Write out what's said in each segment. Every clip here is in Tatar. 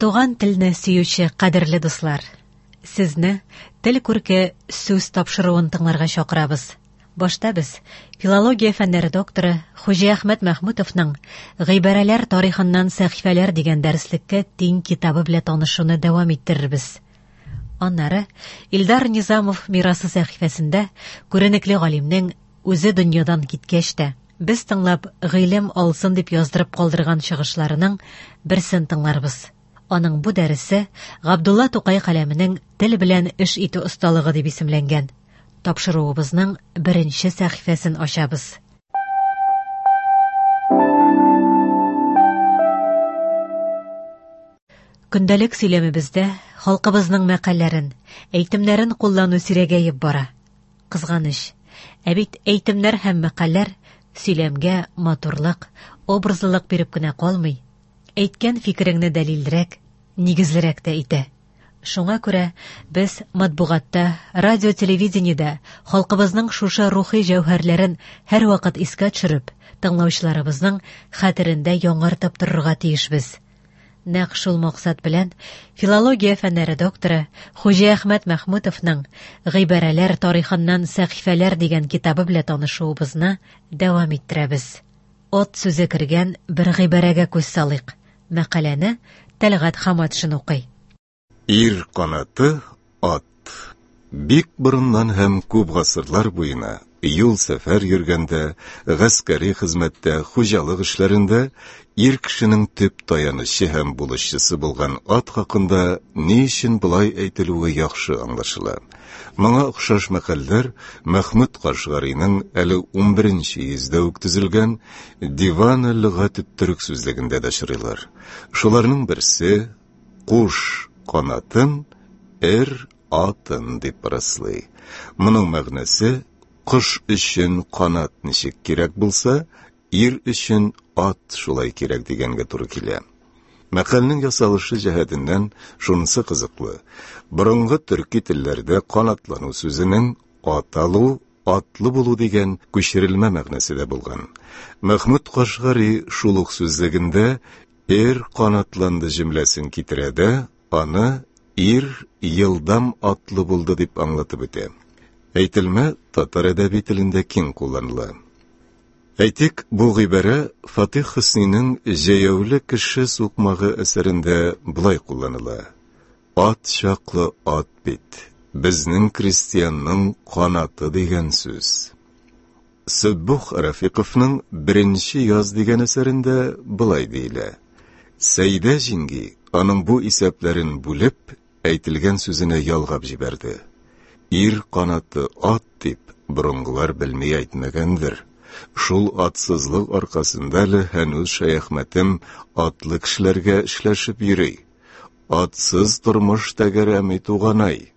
Туган телне сөюче кадерле дуслар, сезне Тел күрке сүз тапшыруын тыңларга чакырабыз. Башта без филология фәннәре докторы Хуҗиәхмәт Мәхмүтовның Гыйбарәләр тарихыннан сәхифәләр дигән дәреслеккә тиң китабы белән танышуны дәвам иттерербез. Аннары Илдар Низамов мирасы сәхифәсендә күренекле галимнең үзе дөньядан киткәч тә, без тыңлап гыйлем алсын дип яздырып калдырган чыгышларының берсен тыңларбыз. Аның бу дәресе Габдулла Тукай каләменең тел белән эш итү осталыгы дип исемләнгән. Тапшыруыбызның беренче сәхифәсен ачабыз. Көндәлек сөйләмебездә халкыбызның мәкальләрен, әйтемнәрен куллану сирәгәеп бара. Кызганыч. Ә бит әйтемнәр һәм мәкальләр сөйләмгә матурлык, образлылык биреп кенә калмый, әйткән фикереңне дәлилрәк, нигезлерәк тә итә. Шуңа күрә без матбугатта, радио-телевидениедә халкыбызның шушы рухи җәүһәрләрен һәрвакыт искә төшереп, тыңлаучыларыбызның хәтерендә яңартып торырга тиешбез. Нәкъ шул максат белән филология фәннәре докторы Хуҗиәхмәт Мәхмүтовның Гыйбарәләр тарихыннан сәхифәләр дигән китабы белән танышуыбызны дәвам иттерәбез. Ат сүзе кергән бер гыйбарәгә күз салыйк. Мәкаләне Тәлгать Хаматшин укый. Ир канаты ат. Бик борыннан һәм күп гасырлар буена юл-сәфәр йөргәндә, гаскәри хезмәттә, хуҗалык эшләрендә ир кешенең төп таянычы һәм булышчысы булган ат хакында ни өчен болай әйтелүе яхшы аңлашыла. Моңа охшаш мәкальләр Мәхмүт Кашгариның әле 11 йөздә үк төзелгән Диван лөгатет-төрек сүзлегендә дә очрыйлар. Шуларның берсе Куш канатын, эр атын дип раслый. Моның мәгънәсе кош өчен канат ничек кирәк булса, ир өчен ат шулай кирәк дигәнгә туры килә. Мәкальнең ясалышы җәһәтеннән шунысы кызыклы. Борынгы төрки телләрдә канатлану сүзенең ат алу, атлы булу дигән күчерелмә мәгънәсе дә булган. Мәхмүт Кашгари шул ук сүзлегендә Ир канатланды җөмләсен китерә дә, аны ир елдам атлы булды дип аңлатып үтә. Әйтелмә татар әдәби телендә киң кулланыла. Әйтик, бу гыйбарә Фатих Хөснинең Җәяүле кеше сукмагы әсәрендә болай кулланыла. Ат чаклы ат бит, безнең крестьянның канаты дигән сүз. Сөббух Рафиковның Беренче яз дигән әсәрендә болай диелә. Сәйдә җиңги аның бу исәпләрен бүлеп, әйтелгән сүзенә ялгап җибәрде. Ир канаты ат дип, борынгылар белми әйтмәгәндер. Шул атсызлык аркасында әле һәнүз Шәяхмәтем атлы кешеләргә эшләшеп йөри. Атсыз тормыш тәгәрәми, туганай.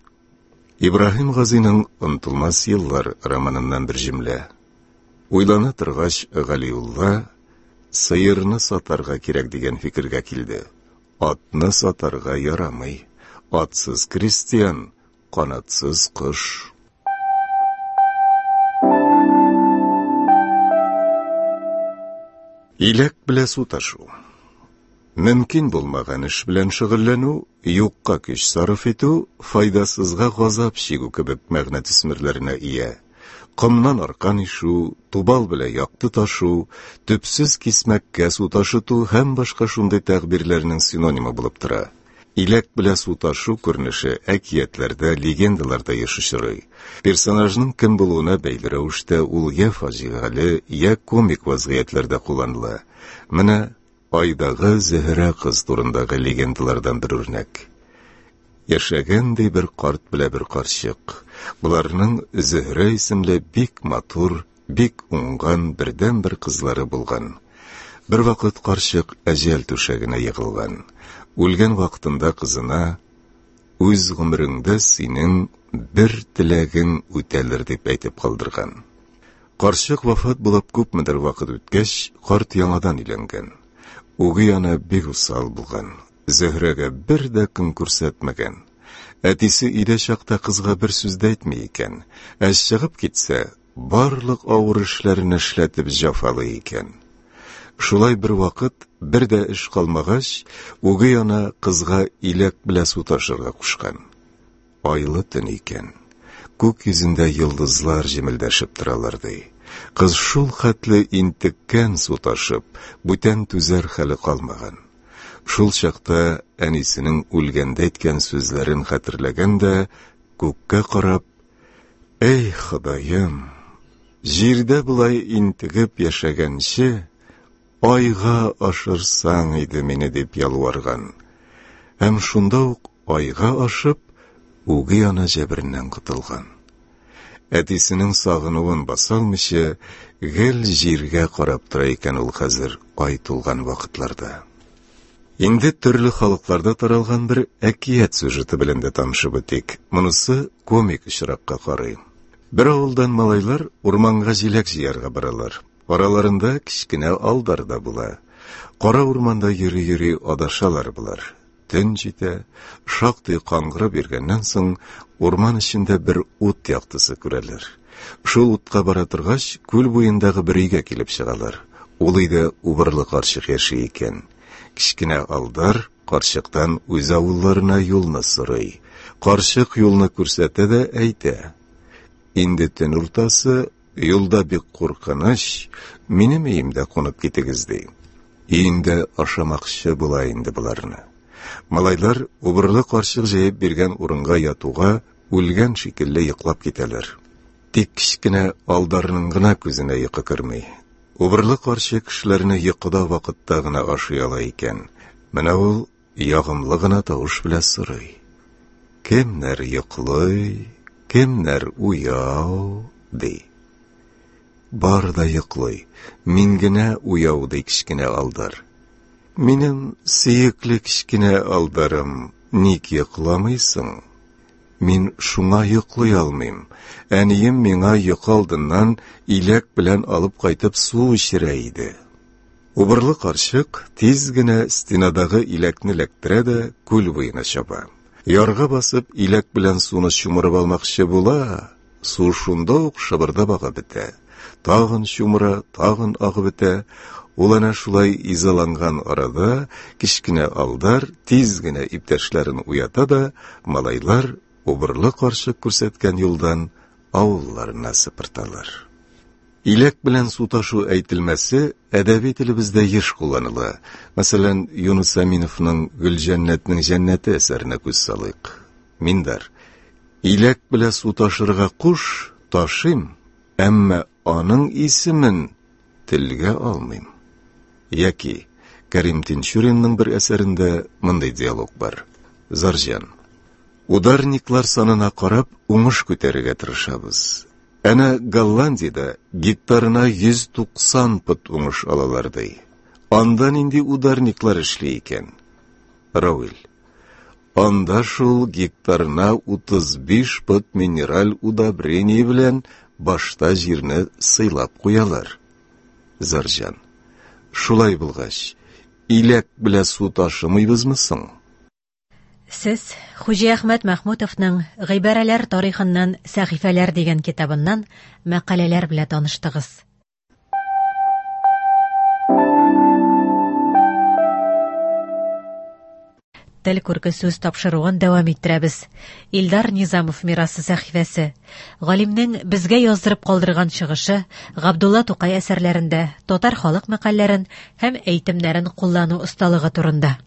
Ибраһим Газиның Онытылмас еллар романыннан бер җөмлә. Уйлана торгач, Галиулла сыерны сатарга кирәк дигән фикергә килде. Атны сатарга ярамый. Атсыз крестьян, канатсыз кош. Иләк белә су ташу. Мөмкин булмаган эш белән шөгыльләнү, юкка көч сарыф итү, файдасызга газап чигү кебек мәгънә төсмерләренә ия. Комнан аркан ишү, тубал белән якты ташу, төпсез кисмәккә су ташыту һәм башка шундый тәгъбирләрнең синонимы булып тора. Иләк белән су ташу күренеше әкиятләрдә, легендаларда еш очрый. Персонажның кем булуына бәйле рәвештә ул я фаҗигале, я комик вазгыятьләрдә кулланыла. Менә Айдагы Зөһрә кыз турындагы легендалардан бер үрнәк. Яшәгән ди бер карт белә бер карчык. Боларның Зөһрә исемле бик матур, бик уңган бердәнбер кызлары булган. Бервакыт карчык әҗәл түшәгенә егылган. Үлгән вакытында кызына Үз гомереңдә синең бер теләгең үтәлер дип әйтеп калдырган. Карчык вафат булып күпмедер вакыт үткәч, карт яңадан өйләнгән. Үги ана бик усал булган. Зөһрәгә бер дә көн күрсәтмәгән. Әтисе өйдә чакта кызга бер сүз дә әйтми икән. Ә чыгып китсә, барлык авыр эшләрен эшләтеп җафалый икән. Шулай бер вакыт, бер дә эш калмагач, үги ана кызга иләк белән су ташырга кушкан. Айлы төн икән. Күк йөзендә йолдызлар җемелдәшеп торалар, ди. Кыз шул хәтле интеккән су ташып, бүтән түзәр хәле калмаган. Шул чакта әнисенең үлгәндә әйткән сүзләрен хәтерләгән дә, күккә карап, «Әй, Ходаем, җирдә болай интегеп яшәгәнче, айга ашырсаң иде мине», дип ялварган. Һәм шунда ук айга ашып, үги ана җәбереннән котылган. Әтисенең сагынуын баса алмыйча, гел җиргә карап тора икән ул хәзер ай тулган вакытларда. Инде төрле халыкларда таралган бер әкият сюжеты белән дә танышып үтик. Монысы комик очракка карый. Бер авылдан малайлар урманга җиләк җыярга баралар. Араларында кечкенә Алдар да була. Кара урманда йөри-йөри адашалар болар. Төн җитә, шактый каңгырып йөргәннән соң, урман эчендә бер ут яктысы күрәләр. Шул утка бара торгач, күл буендагы бер өйгә килеп чыгалар. Ул өйдә убырлы карчык яши икән. Кечкенә Алдар карчыктан үз авылларына юлны сорый. Карчык юлны күрсәтә дә әйтә: «Инде төн уртасы, юлда бик куркыныч, минем өемдә кунып китегез», ди. Өендә ашамакчы була инде боларны. Малайлар убырлы карчык җәеп биргән урынга ятуга үлгән шикелле йоклап китәләр. Тик кечкенә Алдарның гына күзенә йокы керми. Убырлы карчык кешеләрне йокыда вакытта гына ашый ала икән. Менә ул ягымлы гына тавыш белән сорый: «Кемнәр йоклый, кемнәр уяу?» ди. Бар да йоклый, мин генә уяу, ди кечкенә Алдар. Минем сөекле кечкенә Алдарым, ник йокламыйсың? Мин шуңа йоклый алмыйм. Әнием миңа йокы алдыннан иләк белән алып кайтып су эчерә иде. Убырлы карчык тиз генә стенадагы иләкне эләктерә дә күл буена чаба. Ярга басып иләк белән суны чумырып алмакчы була, су шунда ук шыбырдап агып бетә. Тагын чумыра, тагын агып бетә. Ул әнә шулай изаланган арада кечкенә Алдар тиз генә иптәшләрен уята да, малайлар убырлы карчык күрсәткән юлдан авылларына сыпырталар. Иләк белән су ташу әйтелмәсе әдәби телебездә еш кулланыла. Мәсәлән, Юныс Әминовның Гөлҗәннәтнең җәннәте әсәренә күз салыйк. Миндар: «Иләк белән су ташырга куш, ташыйм, әмма аның исемен телгә алмыйм». Яки Кәрим Тинчуринның бер әсәрендә мондый диалог бар. Зарҗан: «Ударниклар санына карап уңыш күтәрергә тырышабыз. Әнә Голландиядә гектарына 190 пот уңыш алалар, ди. Анда нинди ударниклар эшли икән?» Рауил: «Анда шул гектарына 35 пот минераль удобрение белән башта җирне сыйлап куялар». Зарҗан: «Шулай булгач, иләк белән су ташымыйбызмы соң?» Сез Хуҗиәхмәт Мәхмүтовның Гыйбарәләр тарихыннан сәхифәләр дигән китабыннан мәкаләләр белән таныштыгыз. Тел күрке сүз тапшыруын дәвам иттерәбез. Илдар Низамов мирасы сәхифәсе. Галимнең безгә яздырып калдырган чыгышы Габдулла Тукай әсәрләрендә татар халык мәкальләрен һәм әйтемнәрен куллану осталыгы турында.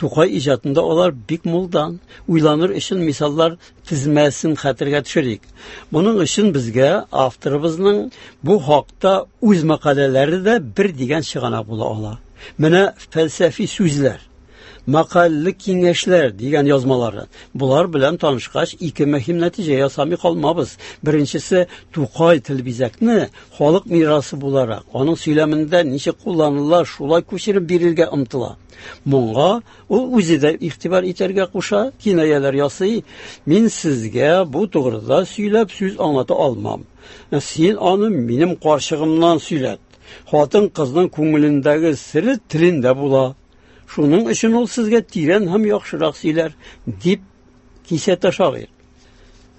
Тукай иҗатында алар бик мулдан. Уйланыр өчен мисаллар тезмәсен хәтергә төшерик. Моның өчен безгә авторыбызның бу хакта үз мәкаләләре дә бер дигән чыганак була ала. Менә фәлсәфи сүзләр, мәкальле киңәшләр дигән язмалары. Булар белән танышкач, ике мөһим нәтиҗә ясамый калмабыз. Беренчесе, Тукай тел бизәкне халык мирасы буларак, аның сөйләмендә ничек кулланыла, шулай күчереп бирергә омтыла. Моңа ул үзе дә игътибар итәргә куша, кинаяләр ясый. Мин сезгә бу тугрыда сөйләп сүз аңлата алмам. Син аны минем карчыгымнан сөйләт. Хатын-кызның күңелендәге сере телендә була. Шуның өчен ул сезгә тирән һәм яхшырак сөйләр, дип кисәтә шагыйрь.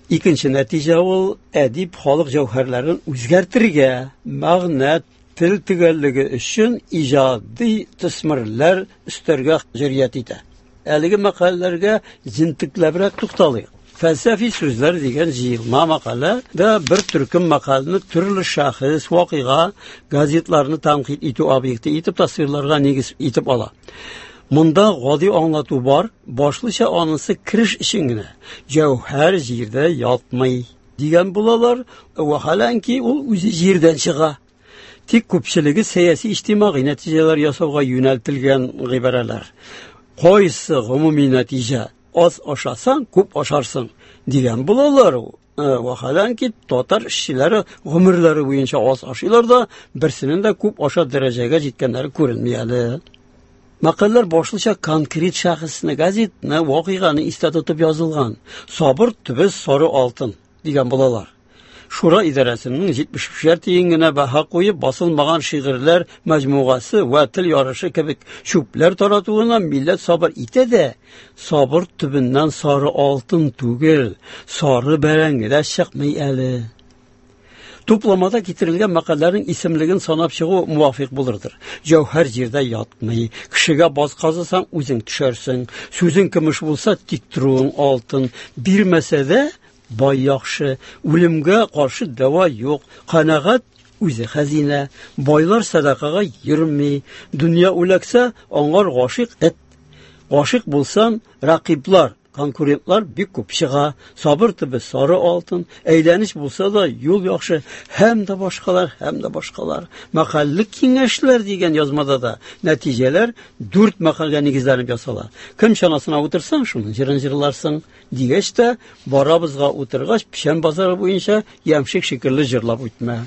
Икенче нәтиҗә ул әдип халык җәүһәрләрен үзгәртергә, мәгънә тел төгәллеге өчен иҗади төсмерләр өстәргә җөрьәт итә. Әлеге мәкаләләргә җентекләбрәк тукталыйк. Фәлсәфи сүзләр дигән җыелма мәкалә дә бер төркем мәкаләне төрле шәхес, вакыйга, газетларны тәнкыйть итү объекты итеп тасвирларга нигез итеп ала. Монда гади аңлату бар, башлыча анысы кереш өчен генә. Җәүһәр җирдә ятмый дигән булалар, вәхаләнки ул үзе җирдән чыга. Тик күпчелеге сәяси иҗтимагый нәтиҗәләр ясауга юнәлтелгән гыйбарәләр. Кайсы гомуми нәтиҗә? Аз ашасаң, күп ашарсың дигән булалар. Вәхаләнки татар эшчеләре гомерләре буенча аз ашыйлар да, берсенең дә күп ашар дәрәҗәгә җиткәннәре күренми әле. Мәкальләр башлыча конкрет шәхесне, газетны, вакыйганы истә тотып язылган. Сабыр төбе сары алтын дигән булалар. Шура идарәсенең 75 тиен генә баһа куеп басылмаган шигырьләр мәҗмугасы вә тел ярышы кебек чүпләр таратуына милләт сабыр итә дә, сабыр төбеннән сары алтын түгел, сары бәрәңге дә чыкмый әле. Тупламада китерелгән мәкальләрнең исемлеген санап чыгу муафыйк булырдыр. Җәүһәр җирдә ятмый, кешегә баз казысаң, үзең төшәрсең. Сүзең көмеш булса, тик торуың алтын. Бирмәсә дә, бай яхшы, үлемгә каршы дәва юк, канәгать үзе хәзинә, байлар сәдакага йөрми, дөнья үләксә, аңар гашыйк эт. Гашыйк булсаң, рәкыйблар, конкурентлар бик күп чыга, сабыр төбе сары алтын, әйләнеш булса да юл яхшы, һәм дә башкалар, һәм дә башкалар. Мәкальлек киңәшләр дигән язмада да нәтиҗәләр дүрт мәкальгә нигезләнеп ясала. Кем чанасына утырсаң, шуның җырын җырларсың. Дигәч тә, барабызга утыргач, печән базары буенча ямшек шикелле җырлап үтмә.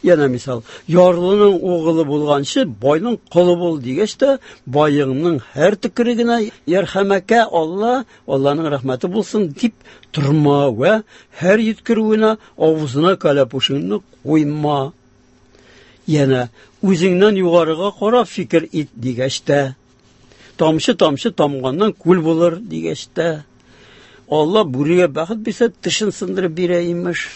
Яна мисал, ярлының угылы булганчы, байның колы бул дигәч тә, байыңның һәр төкерегенә ярхәмәкә Алла, Алланың рәхмәте булсын дип торма вә һәр йөткерүенә авызына кәләпүшеңне куйма. Яна үзеңнән югарыга карап фикер ит дигәч тә, тамчы-тамчы тамганнан күл булыр дигәч тә, Алла бүрегә бәхет бирсә, тешен сындырып бирә имеш.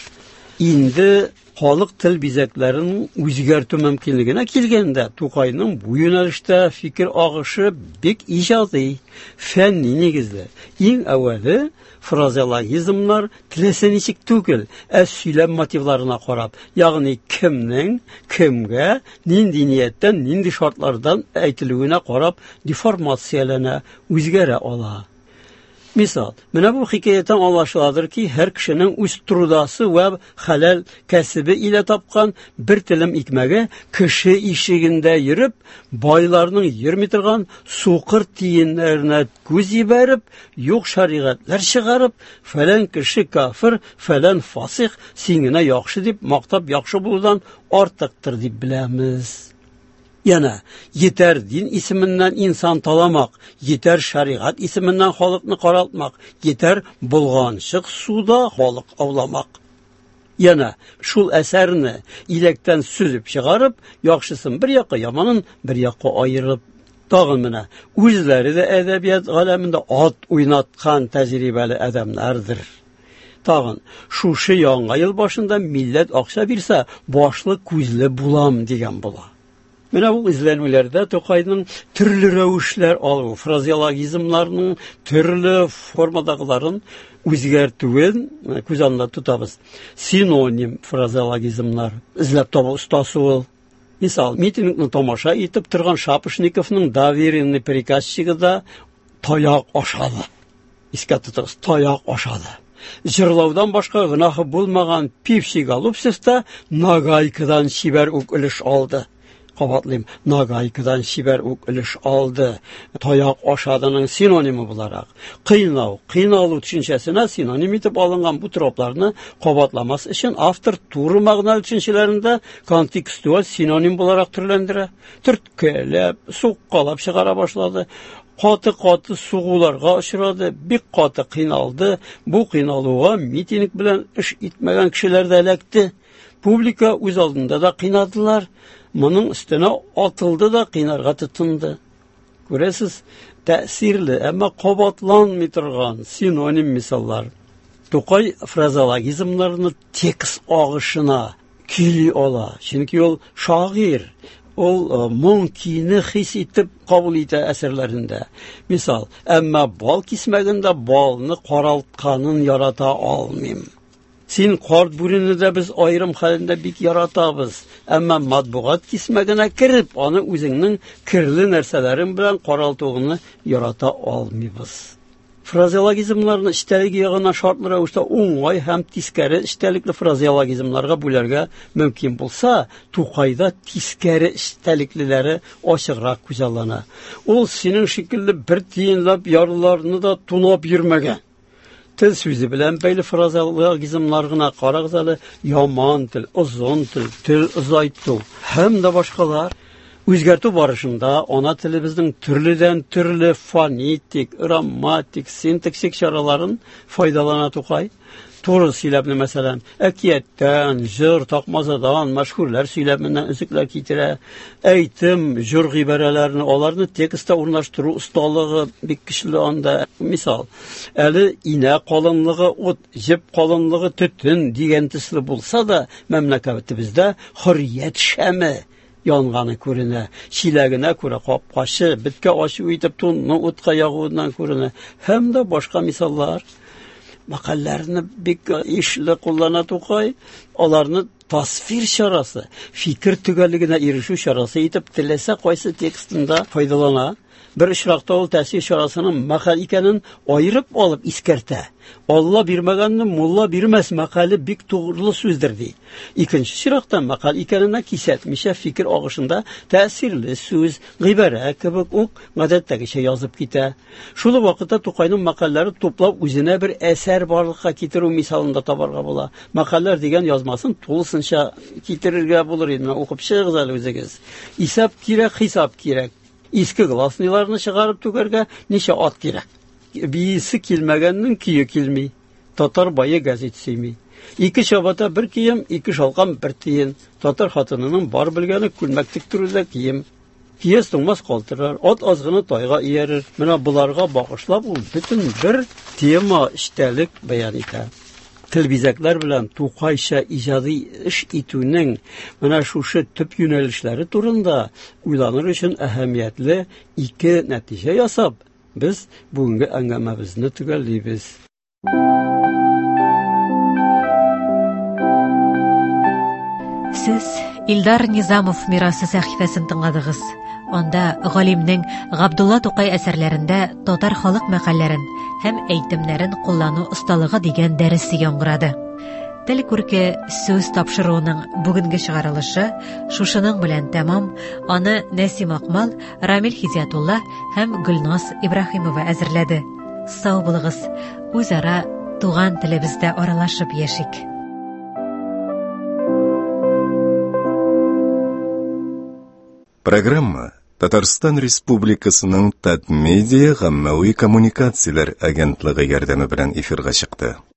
Инде халык тел бизәкләрен үзгәртү мөмкинлегенә килгәндә, Тукайның бу юнәлештә фикер агышы бик иҗади, фәнни нигезле. Иң әүвәле фразеологизмнар теләсә ничек түгел, ә сөйләм мотивларына карап, ягъни кемнең, кемгә, нинди нияттән, нинди шартлардан әйтелүенә карап деформацияләнә, үзгәрә ала. Мисал, менә бу хикәяттән аңлашыладыр ки, һәр кешенең үз трудасы вә хәләл кәсебе илә тапкан бер телем икмәге кеше ишегендә йөреп, байларның йөрми торган сукыр тиеннәренә күз җибәреп, юк шәригатьләр чыгарып, фәлән кеше кафир, фәлән фасих, син генә яхшы дип мактап яхшы булудан артыктыр дип беләмез. Яна етәр дин исеменнән инсан таламак, етәр шәригать исеменнән халыкны каралтмак, етәр болганчык суда балык ауламак. Яна шул әсәрне иләктән сөзеп чыгарып, яхшысын бер якка, яманын бер якка аерып, тагын менә үзләре дә әдәбият галәмендә ат уйнаткан тәҗрибәле адәмнәрдер. Тагын шушы яңа ел башында милләт акча бирсә, башлы күзле булам дигән була. Менә бу эзләнүләрдә Тукайның төрле рәвешләр алу, фразеологизмнарның төрле формадагыларын үзгәртүен күз алдында тотабыз. Синоним фразеологизмнар эзләп табу остасы ул. Мисал, митингны тамаша итеп торган Шапошниковның доверенный приказчигы да таяк ашады. Искә тотыгыз, таяк ашады. Җырлаудан башка гөнаһы булмаган Пивчий Голубцев та нагайкадан чибәр үк өлеш алды. Кабатлыйм, нагайкадан чибәр үк өлеш алды. Таяк ашадының синонимы буларак. Кыйнау, кыйналу төшенчәсенә синоним итеп алынган бу тропларны кабатламас өчен автор туры мәгънәле төшенчәләрен дә контекстуаль синоним буларак төрләндерә. Төрткәләп, суккалап чыгара башлады. Каты-каты сугуларга очрады, бик каты кыйналды. Бу кыйналуга митинг белән эш итмәгән кешеләр дә эләкте. Публика үз алдында да кыйнадылар. Моның өстенә атылды да кыйнарга тотынды. Күрәсез, тәэсирле, әмма кабатланмый торган синоним мисаллар. Тукай фразеологизмнарны текст агышына, Көйли ала, чөнки ул шагыйрь, ул моң көйне хис итеп кабул итә әсәрләрендә. Мисал, әмма бал кисмәгендә балны каралтканын ярата алмыйм. Син карт бүрене дә без аерым хәлендә бик яратабыз, әмма матбугат кисмәгенә кереп, аны үзеңнең керле нәрсәләрең белән каралтуыңны ярата алмыйбыз. Фразеологизмнарны эчтәлеге ягыннан шартлы рәвештә уңай һәм тискәре эчтәлекле фразеологизмнарга бүләргә мөмкин булса, Тукайда тискәре эчтәлеклеләре ачыграк күзаллана. Ул синең шикелле бер тиенләп ярлыларны да тунап йөрмәгән. Тел сүзе белән бәйле фразеологизмнар гына карагыз әле, яман тел, озын тел, тел озайту һәм дә башкалар. Үзгәртү барышында ана телебезнең төрледән-төрле фонетик, грамматик, синтаксик чараларын файдалана Тукай. Туры сөйләмне, мәсәлән, әкияттән, җыр, такмазадан, мәшһүрләр сөйләменнән өзекләр китерә. Әйтем, җыр гыйбарәләрне, аларны текстта урнаштыру осталыгы бик көчле анда. Мисал, әле инә калынлыгы ут, җеп калынлыгы төтен дигән төсле булса да, мәмләкәтебездә хөррият шәме янганы күренә. Чиләгенә күрә капкачы, беткә ачу итеп тунны утка ягуыннан күренә. Һәм дә башка мисаллар. Мәкальләрне бик ишле куллана Тукай. Аларны тасвир чарасы, фикер төгәллегенә ирешү чарасы итеп теләсә кайсы текстында файдалана. Бер очракта ул тәэсир чарасының мәкаль икәнен аерып алып искәртә. Алла бирмәгәнне мулла бирмәс мәкале бик тугрылы сүздер ди. Икенче чиракта мәкаль икәненә кисәтмичә фикер агышында тәэсирле сүз, гыйбарә кебек үк гадәттәгечә язып китә. Шул ук вакытта Тукайның мәкальләре туплап үзенә бер әсәр барлыкка китерү мисалын да табарга була. Мәкальләр дигән язмасын тулысынча китерергә булыр иде. Менә укып чыгыгыз әле үзегез. Исәп кирәк, хисап кирәк. Иске гласныйларны чыгарып түгәргә ничә ат кирәк? Биисе килмәгәннең көе килми. Татар бае гәзит сөйми. Ике чабата бер кием, ике шалкан бер тиен. Татар хатынының бар белгәне күлмәк тектерү дә кием. Киез туңмас калтырар, ат азгыны тайга иярер. Менә боларга багышлап ул бөтен бер тема, эчтәлек бәян итә. Тел бизәкләр белән Тукайча иҗади эш итүнең менә шушы төп юнәлешләре турында уйланыр өчен әһәмиятле ике нәтиҗә ясап, без бүгенге әңгәмәбезне төгәллибез. Сез Илдар Низамов мирасы сәхифәсен тыңладыгыз. Анда галимнең Габдулла Тукай әсәрләрендә татар халык мәкальләрен һәм әйтемнәрен куллану осталыгы дигән дәресе яңгырады. Тел күрке сүз тапшыруының бүгенге чыгарылышы шушының белән тәмам. Аны Нәсим Акмал, Рамил Хидиятулла һәм Гөлназ Ибраһимова әзерләде. Сау булыгыз, үзара туган телебездә аралашып яшик. Программа Татарстан Республикасының Татмедиа гаммәви коммуникацияләр агентлыгы ярдәме белән эфирга чыкты.